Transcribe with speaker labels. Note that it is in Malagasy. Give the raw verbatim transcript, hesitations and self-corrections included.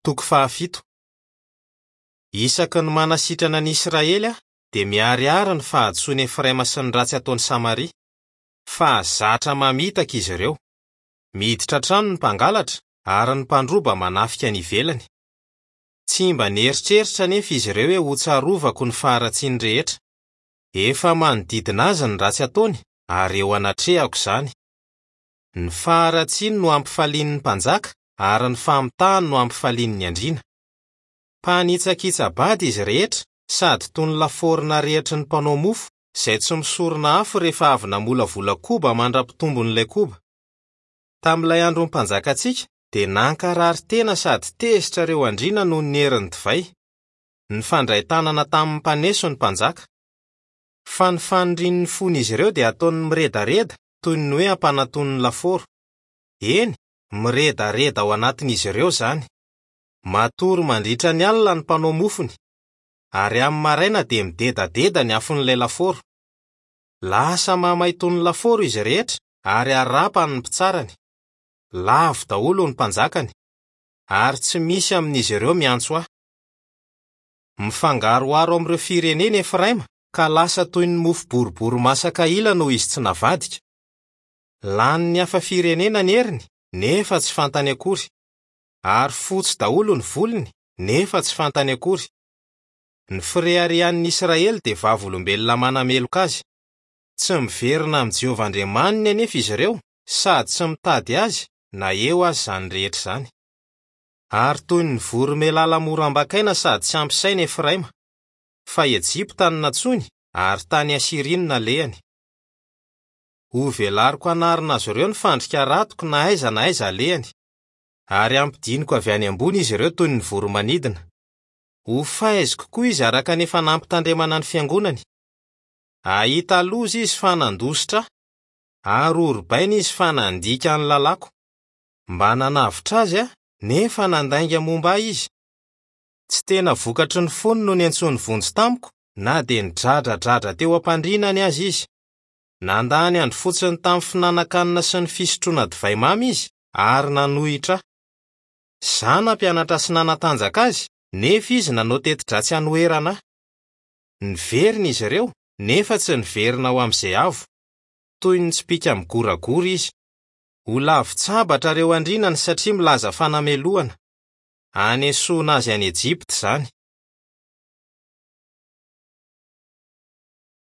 Speaker 1: Toko fahafito. Isaky ny manasitrana ny Israely aho dia miharihary ny fahadisoan'i Efraima sy ny ratsy ataon'i Samaria. Fa zatra mamitaka izy ireo. Miditra an-trano ny mpangalatra ary ny mpandroba manafika any ivelany. Tsy mba nieritreritra anefa izy ireo hoe hotsarovako ny faharatsiany rehetra. Efa manodidina azy ny ratsy ataony ary eo anatrehako izany. Ny faharatsiany no ampifalian'ny mpanjaka ary ny famitahany no ampifalian'ny andriana. Mpanitsakitsa-bady izy rehetra sady toy ny lafaoro narehitry ny mpanao mofo izay tsy misorona afo rehefa avy namolavola koba mandra-pitombon'ilay koba. Tamin'ilay andron'ny mpanjakantsika dia nankarary tena sady tezitra ireo andriana noho ny herin'ny divay. Nifandray tanana tamin'ny mpaneso ny mpanjaka. Fa ny fanirian'ny fon'izy ireo dia ataony miredareda toy ny hoe ampananton'ny lafaoro. Eny, miredareda ao anatin'izy ireo izany. Matory mandritra ny alina ny mpanao mofony, ary amin'ny maraina dia midedadeda ny afon'ilay lafaoro. Lasa mamay toy ny lafaoro izy rehetra ary harapany ny mpitsarany. Lavo daholo ny mpanjakany, ary tsy misy amin'izy ireo miantso ahy. Mifangaroharo amin'ireo firenena Efraima ka lasa toy ny mofo boribory masaka ila noho izy tsy navadika. Lanin'ny hafa firenena ny heriny nefa tsy fantany akory, ary fotsy daholo ny volony nefa tsy fantany akory. Ny fireharehan'ny Israely dia vavolombelona manameloka azy. Tsy miverina amin'i Jehovah Andriamaniny anefa izy ireo sady tsy mitady azy na eo aza izany rehetra izany. Ary toy ny voromailala mora ambakaina sady tsy ampy saina Efraima, fa Ejipta no nantsoiny ary tany Asiria no nalehany. Hovelariko hanarina azy ireo ny fandrika ratiko na aiza na aiza alehany, ary hampidiniko avy any ambony izy ireo toy ny voromanidina. Ho faiziko koa izy araka ny efa nampitandremana ny fiangonany. Hahita loza izy fa nandositra ahy, ary horobaina izy fa nandika ny lalàko. Mba nanavotra azy aho, nefa nandainga momba ahy izy. Tsy tena vokatry ny fony no niantsoany vonjy tamiko na dia nidradradradra teo am-pandrinany aza izy. Nandany andro fotsiny tamin'ny fihinanankanina sy ny fisotroana divay mamy izy ary nanohitra ahy. Izaho nampianatra sy nanatanjaka azy, nefa izy nanao teti-dratsy hanoherana ahy. Niverina izy ireo, nefa tsy niverina ho amin'izay avo. Toy ny tsipìka migoragora izy. Ho lavin-tsabatra ireo andrinany satria milaza fanamelohana. Hanesoana azy any Ejipta izany.